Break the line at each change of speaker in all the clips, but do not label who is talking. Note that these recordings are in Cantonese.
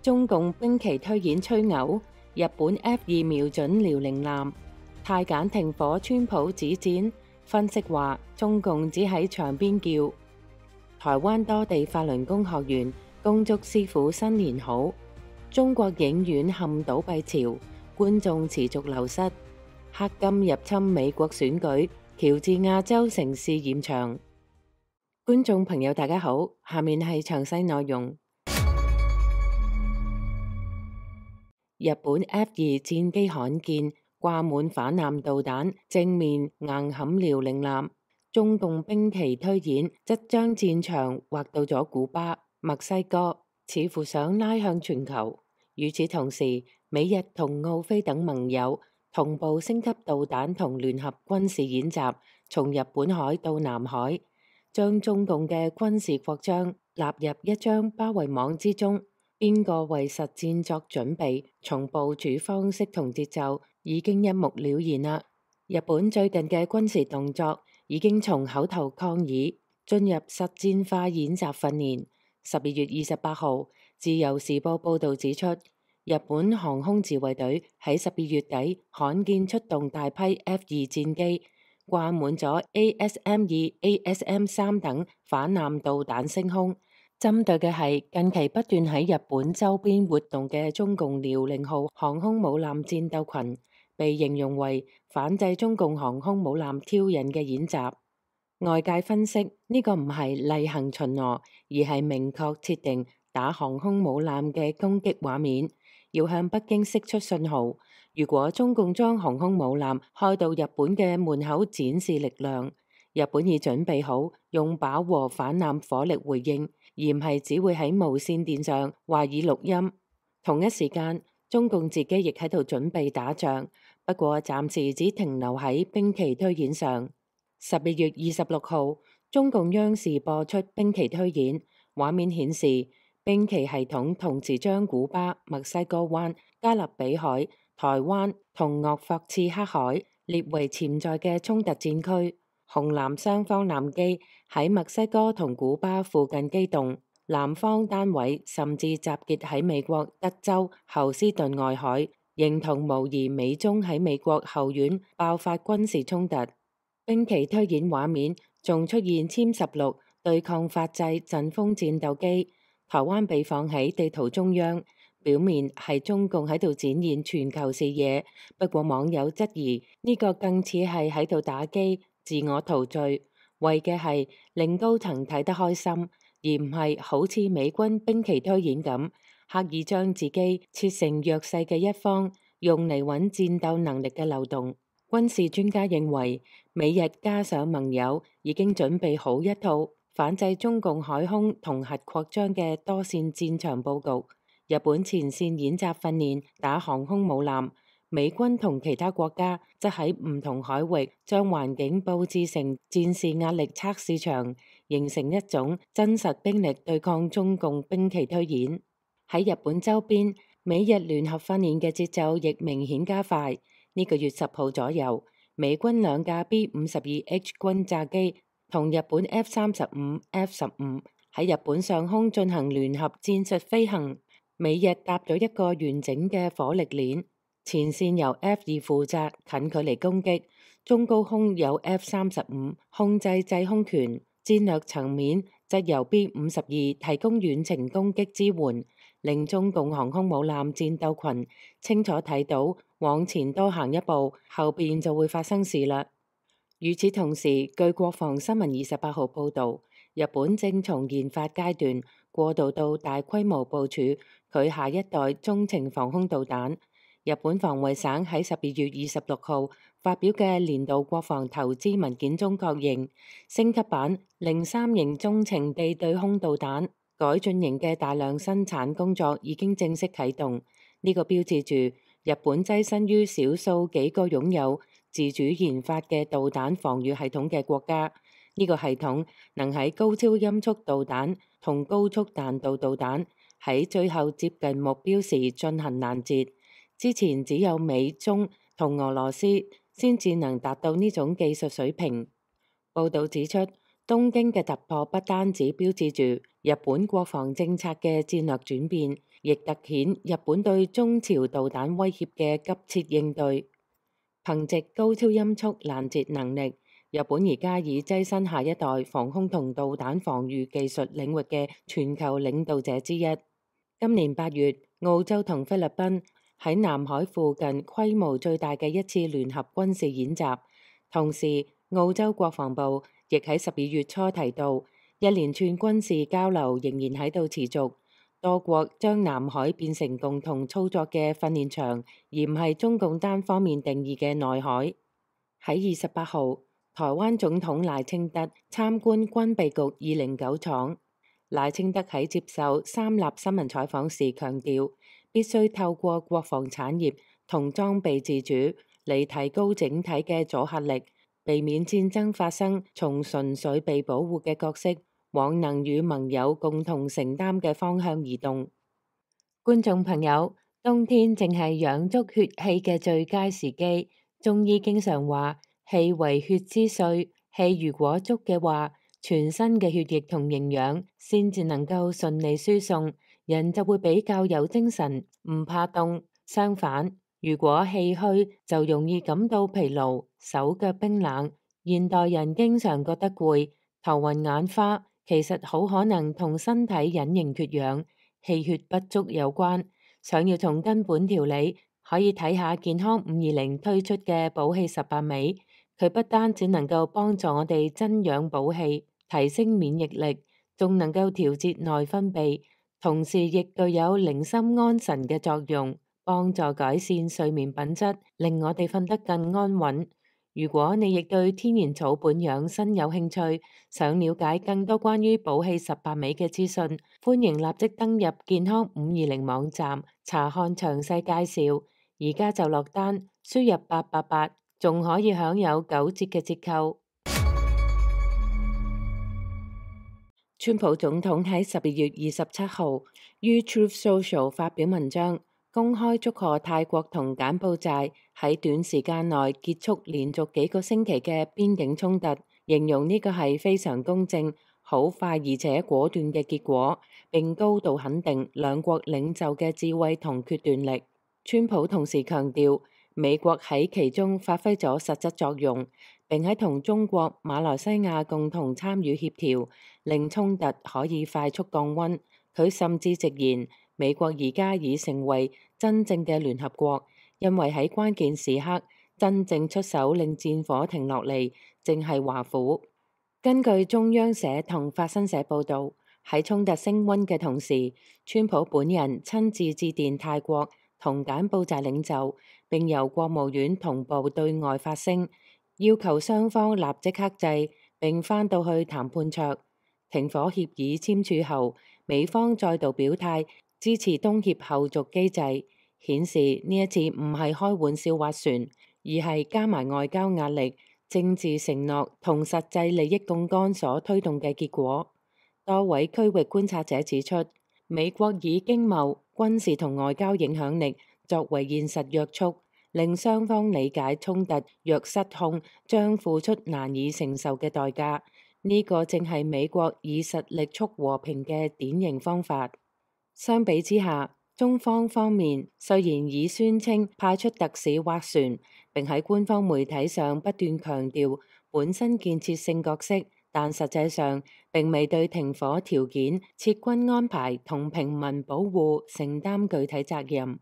中共兵棋推演吹牛，日本 F2瞄準遼寧艦，太簡停火，川普指戰。分析話中共只喺場邊叫。台灣多地法輪功學員恭祝師傅新年好。中國影院陷倒閉潮，觀眾持續流失。黑金入侵美國選舉，喬治亞州城市驗場。觀眾朋友大家好，下面係詳細內容。日本 F2戰機罕見掛滿反艦導彈，正面硬撼遼寧艦。中共兵棋推演則將戰場劃到咗古巴、墨西哥，似乎想拉向全球。與此同時，美日同澳非等盟友同步升級導彈同聯合軍事演習，從日本海到南海，將中共嘅軍事擴張納入一張包圍網之中。邊個為實戰作準備，從部署方式同節奏已經一目了然啦。日本最近嘅軍事動作已經從口頭抗議進入實戰化演習訓練。12月28號，自由時報報道指出，日本航空自衛隊喺12月底罕見出動大批 F2戰機，掛滿咗 ASM-2、ASM-3等反艦導彈升空。針對嘅係近期不斷喺日本周邊活動嘅中共遼寧號航空母艦戰鬥群，被形容為反制中共航空母艦挑釁嘅演習。外界分析呢個唔係例行巡邏，而係明確設定打航空母艦嘅攻擊畫面，要向北京釋出信號。如果中共將航空母艦開到日本嘅門口展示力量，日本已準備好用飽和反艦火力回應，而唔係只會喺無線電上話以錄音。同一時間，中共自己亦喺度準備打仗，不過暫時只停留喺兵棋推演上。12月26號，中共央視播出兵棋推演，畫面顯示兵棋系統同時將古巴、墨西哥灣、加勒比海、台灣同鄂霍次克海列為潛在嘅衝突戰區。紅藍雙方艦機喺墨西哥同古巴附近機動，藍方單位甚至集結喺美國德州侯斯頓外海，形同模擬美中喺美國後院爆發軍事衝突。兵棋推演畫面仲出現殲16對抗法製陣風戰鬥機，台灣被放喺地圖中央，表面係中共喺度展現全球視野。不過網友質疑呢個更似係喺度打機，自我陶醉，為嘅係令高層睇得開心，而唔係好似美軍兵棋推演咁，刻意將自己切成弱勢嘅一方，用嚟揾戰鬥能力嘅漏洞。軍事專家認為，美日加上盟友已經準備好一套反制中共海空同核擴張嘅多線戰場佈局。日本前線演習訓練打航空母艦，美軍同其他國家則喺唔同海域將環境佈置成戰事壓力測試場，形成一種真實兵力對抗中共兵棋推演。喺日本周邊，美日聯合訓練嘅節奏亦明顯加快。呢個月10號左右，美軍2架 B-52H 轟炸機同日本 F-35、F-15喺日本上空進行聯合戰術飛行。美日搭咗一個完整嘅火力鏈，前線由 F2負責近距離攻擊，中高空有 F-35控制制空權，戰略層面則由 B-52提供遠程攻擊支援，令中共航空母艦戰鬥群清楚睇到往前多行一步，後邊就會發生事啦。與此同時，據國防新聞28號報導，日本正從研發階段過渡到大規模部署佢下一代中程防空導彈。日本防衛省喺12月26號發表嘅年度國防投資文件中確認，升級版03型中程地對空導彈改進型嘅大量生產工作已經正式啟動。呢個標誌住日本躋身於少數幾個擁有自主研發嘅導彈防禦系統嘅國家。呢個系統能喺高超音速導彈同高速彈道導彈喺最後接近目標時進行攔截。之前只有美、中同俄羅斯先至能達到呢種技術水平。報導指出，東京嘅突破不單止標誌住日本國防政策嘅戰略轉變，亦突顯日本對中朝導彈威脅嘅急切應對。憑藉高超音速攔截能力，日本而家已躋身下一代防空同導彈防禦技術領域嘅全球領導者之一。今年8月，澳洲同菲律賓喺南海附近規模最大嘅一次聯合軍事演習。同時，澳洲國防部亦喺12月初提到，一連串軍事交流仍然喺度持續。多國將南海變成共同操作嘅訓練場，而唔係中共單方面定義嘅內海。喺28號，台灣總統賴清德參觀軍備局209廠。賴清德喺接受三立新聞採訪時強調，必須透過國防產業同裝備自主嚟提高整體嘅阻嚇力，避免戰爭發生，從純粹被保護嘅角色往能與盟友共同承擔嘅方向移動。觀眾朋友，冬天正係養足血氣嘅最佳時機。中醫經常話，氣為血之髓，氣如果足嘅話，全身嘅血液同營養先至能夠順利輸送，人就會比較有精神，唔怕凍。相反，如果氣虛，就容易感到疲勞，手腳冰冷。現代人經常覺得攰、頭暈眼花，其實好可能同身體隱形缺氧、氣血不足有關。想要從根本調理，可以睇下健康520推出嘅補氣18味。佢不單只能夠幫助我哋增氧補氣、提升免疫力，仲能夠調節內分泌，同時亦具有寧心安神嘅作用，幫助改善睡眠品質，令我哋瞓得更安穩。如果你亦對天然草本養生有興趣，想了解更多關於補氣18味嘅資訊，歡迎立即登入健康520網站查看詳細介紹。而家就落單，輸入888，仲可以享有9折嘅折扣。川普總統喺12月27號於 Truth Social 發表文章，公開祝賀泰國同柬埔寨喺短時間內結束連續幾個星期嘅邊境衝突，形容呢個係非常公正、好快而且果斷嘅結果，並高度肯定兩國領袖嘅智慧同決斷力。川普同時強調，美國喺其中發揮咗實質作用，並喺同中國、馬來西亞共同參與協調，令衝突可以快速降溫。佢甚至直言，美國而家已成為真正嘅聯合國，因為喺關鍵時刻真正出手令戰火停落嚟，正係華府。根據中央社同法新社報導，喺衝突升溫嘅同時，川普本人親自致電泰國同柬埔寨領袖，並由國務院同步對外發聲，要求雙方立即克制，並返到去談判桌。停火協議簽署後，美方再度表態支持東協後續機制，顯示呢一次唔係開玩笑划船，而係加埋外交壓力、政治承諾同實際利益槓桿所推動嘅結果。多位區域觀察者指出，美國以經貿、軍事同外交影響力作為現實約束，令雙方理解衝突若失控將付出難以承受嘅代價。呢個正係美國以實力促和平嘅典型方法。相比之下，中方方面雖然已宣稱派出特使斡旋，並喺官方媒體上不斷強調本身建設性角色，但實際上並未對停火條件、撤軍安排同平民保護承擔具體責任。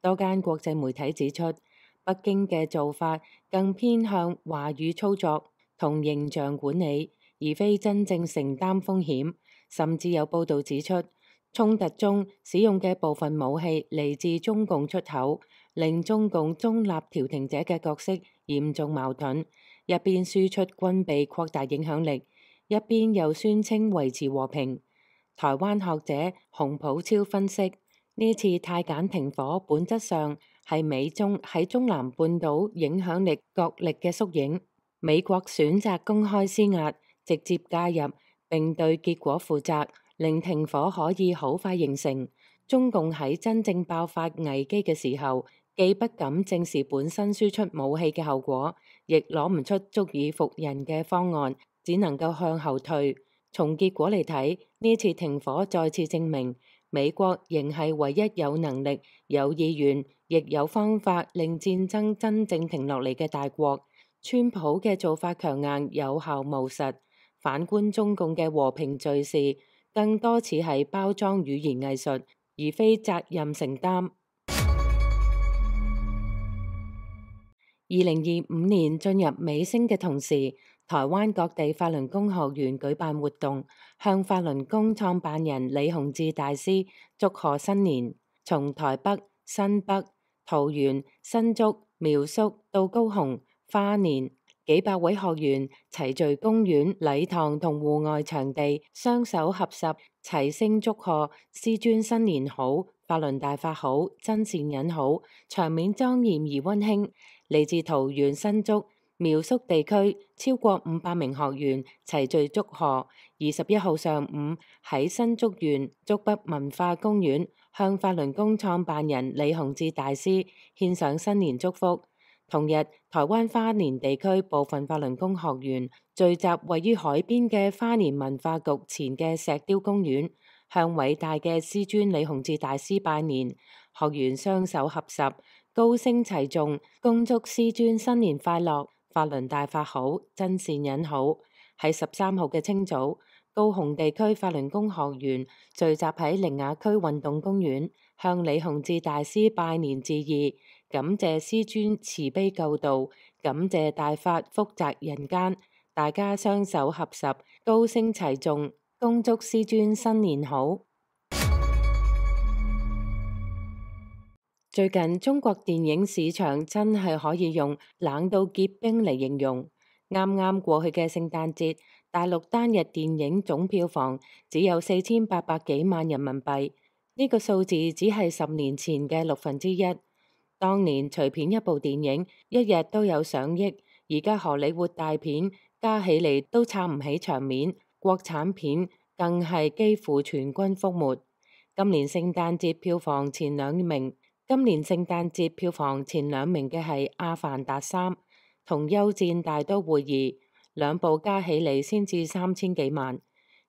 多間國際媒體指出，北京嘅做法更偏向話語操作同形象管理，而非真正承擔風險。甚至有報導指出，衝突中使用嘅部分武器嚟自中共出口，令中共中立調停者嘅角色嚴重矛盾。一邊輸出軍備擴大影響力，一邊又宣稱維持和平。台灣學者洪普超分析，呢次泰柬停火本質上係美中喺中南半島影響力角力嘅縮影。美國選擇公開施壓，直接介入並對結果負責，令停火可以好快形成。中共喺真正爆發危機嘅時候，既不敢正視本身輸出武器嘅後果，亦攞唔出足以服人嘅方案，只能夠向後退。從結果嚟睇，呢次停火再次證明美國仍係唯一有能力、有意願，亦有方法令戰爭真正停落嚟嘅大國。川普嘅做法強硬、有效務實，反觀中共嘅和平敘事，更多似係包裝語言藝術，而非責任承擔。2025年進入尾聲嘅同時，台灣各地法輪功學員舉辦活動，向法輪功創辦人李洪志大師祝賀新年。從台北、新北、桃園、新竹、苗栗到高雄、花蓮，幾百位學員齊聚公園、禮堂同戶外場地，雙手合十，齊聲祝賀師尊新年好，法輪大法好，真善忍好，場面莊嚴而溫馨。嚟自桃園、新竹、苗栗地區超過500名學員齊聚祝賀。21號上午喺新竹縣竹北文化公園向法輪功創辦人李洪志大師獻上新年祝福。同日，台灣花蓮地區部分法輪功學員聚集位於海邊嘅花蓮文化局前嘅石雕公園，向偉大嘅師尊李洪志大師拜年。學員雙手合十，高聲齊頌，恭祝師尊新年快樂，法輪大法好，真善忍好。喺13號嘅清早，高雄地區法輪功學員聚集喺苓雅區運動公園，向李洪志大師拜年致意，感謝師尊慈悲救度，感謝大法福澤人間。大家雙手合十，高聲齊頌，恭祝師尊新年好。最近中國電影市場真係可以用冷到結冰嚟形容。啱啱過去嘅聖誕節，大陸單日電影總票房只有4800幾萬人民幣，呢個數字只係10年前嘅1/6。當年隨便一部電影一日都有上億，而家荷里活大片加起嚟都撐唔起場面，國產片更係幾乎全軍覆沒。今年聖誕節票房前兩名嘅係《阿凡達3》同《休戰大都會2》，兩部加起嚟先至3000幾萬，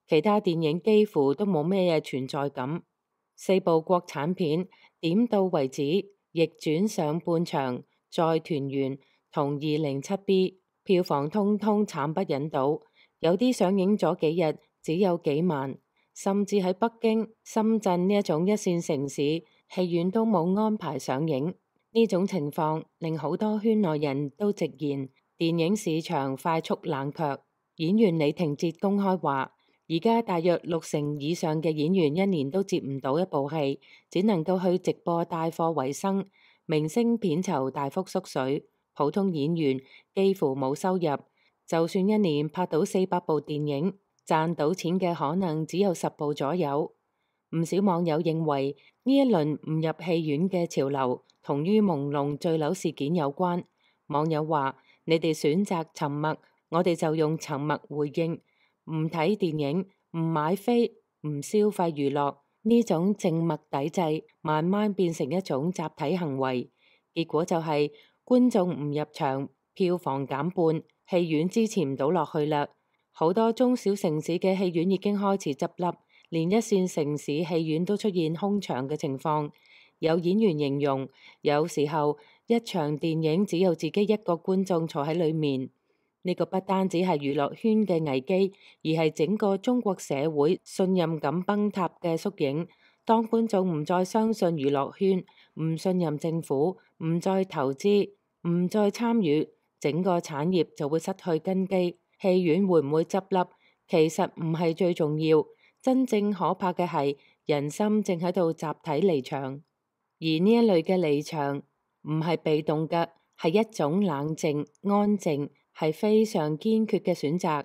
其他電影幾乎都冇咩嘢存在感。4部國產片點到為止，逆轉上半場、再團圓同207B 票房通通慘不忍睹，有啲上映咗幾日只有幾萬，甚至喺北京、深圳呢一種一線城市，戲院都冇安排上映。呢種情況令好多圈內人都直言，電影市場快速冷卻。演員李廷哲公開話，而家大約60%以上嘅演員一年都接唔到一部戲，只能夠去直播帶貨為生。明星片酬大幅縮水，普通演員幾乎冇收入。就算一年拍到400部電影，賺到錢嘅可能只有10部左右。唔少網友認為呢一輪唔入戲院嘅潮流同於朦朧墜樓事件有關。網友話：你哋選擇沉默，我哋就用沉默回應。唔睇電影，唔買飛，唔消費娛樂，呢種靜默抵制，慢慢變成一種集體行為。結果就係觀眾唔入場，票房減半，戲院支持唔到落去啦。好多中小城市嘅戲院已經開始執笠。連一線城市戲院都出現空場嘅情況，有演員形容，有時候一場電影只有自己一個觀眾坐喺裏面。呢個不單止係娛樂圈嘅危機，而係整個中國社會信任感崩塌嘅縮影。當觀眾唔再相信娛樂圈，唔信任政府，唔再投資，唔再參與，整個產業就會失去根基。戲院會唔會執笠，其實唔係最重要。真正可怕嘅係人心正喺度集體離場，而呢一類嘅離場唔係被動嘅，係一種冷靜、安靜，係非常堅決嘅選擇。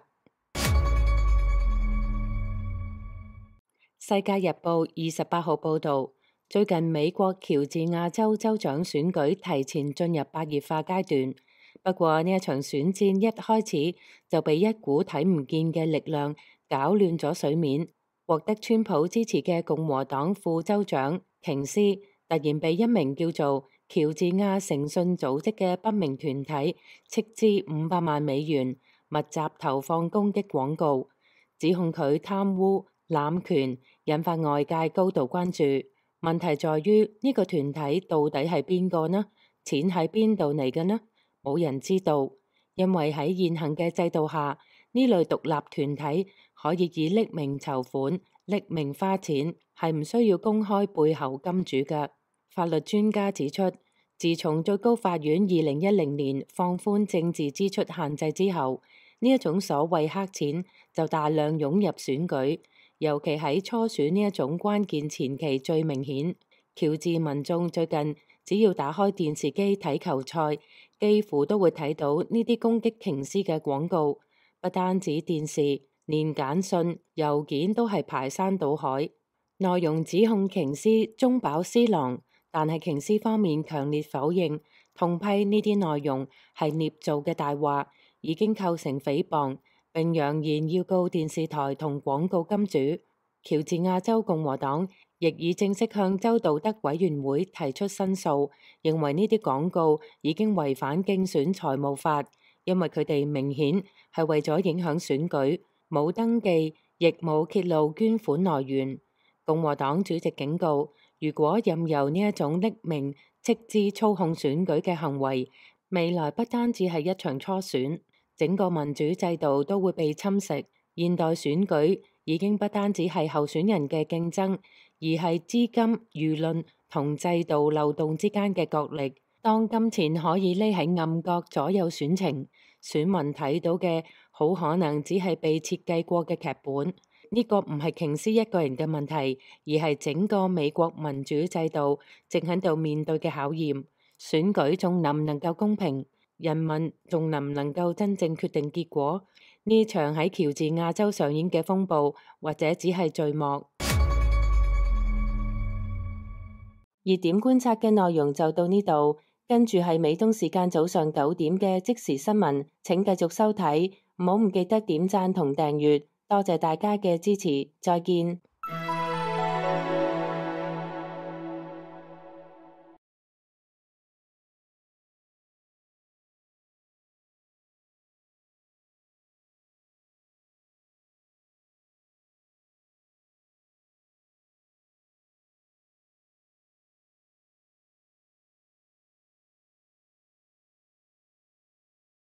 世界日報28號報導，最近美國喬治亞州州長選舉提前進入白熱化階段，不過呢一場選戰一開始就被一股睇唔見嘅力量搞亂咗水面。獲得川普支持嘅共和黨副州長瓊斯突然被一名叫做喬治亞誠信組織嘅不明團體斥資500萬美元，密集投放攻擊廣告，指控佢貪污、濫權，引發外界高度關注。問題在於呢個團體到底係邊個呢？錢喺邊度嚟嘅呢？冇人知道，因為喺現行嘅制度下，呢類獨立團體可以以匿名籌款、匿名花錢，係唔需要公開背後金主嘅。法律專家指出，自從最高法院2010年放寬政治支出限制之後，呢一種所謂黑錢就大量湧入選舉，尤其喺初選呢一種關鍵前期最明顯。喬治民眾最近只要打開電視機睇球賽，幾乎都會睇到呢啲攻擊瓊斯嘅廣告。不單止電視，連簡訊、郵件都係排山倒海，內容指控瓊斯中飽私囊，但係瓊斯方面強烈否認，痛批呢啲內容係捏造嘅大話，已經構成誹謗，並揚言要告電視台同廣告金主。喬治亞州共和黨亦已正式向州道德委員會提出申訴，認為呢啲廣告已經違反競選財務法，因為佢哋明顯係為咗影響選舉，冇登記，亦冇揭露捐款來源。共和黨主席警告，如果任由呢一種匿名斥資操控選舉嘅行為，未來不單止係一場初選，整個民主制度都會被侵蝕。現代選舉已經不單止係候選人嘅競爭，而係資金、輿論同制度漏洞之間嘅角力。當金錢可以匿喺暗角左右選情，選民睇到嘅好可能只係被設計過嘅劇本。呢個唔係瓊斯一個人嘅問題，而係整個美國民主制度正喺度面對嘅考驗。選舉仲能唔能夠公平？人民仲能唔能夠真正決定結果？呢場喺喬治亞州上演嘅風暴，或者只係序幕。熱點觀察嘅內容就到呢度，跟住係美東時間早上9點嘅即時新聞，請繼續收睇，唔好唔記得點讚同訂閱，多謝大家嘅支持，再見。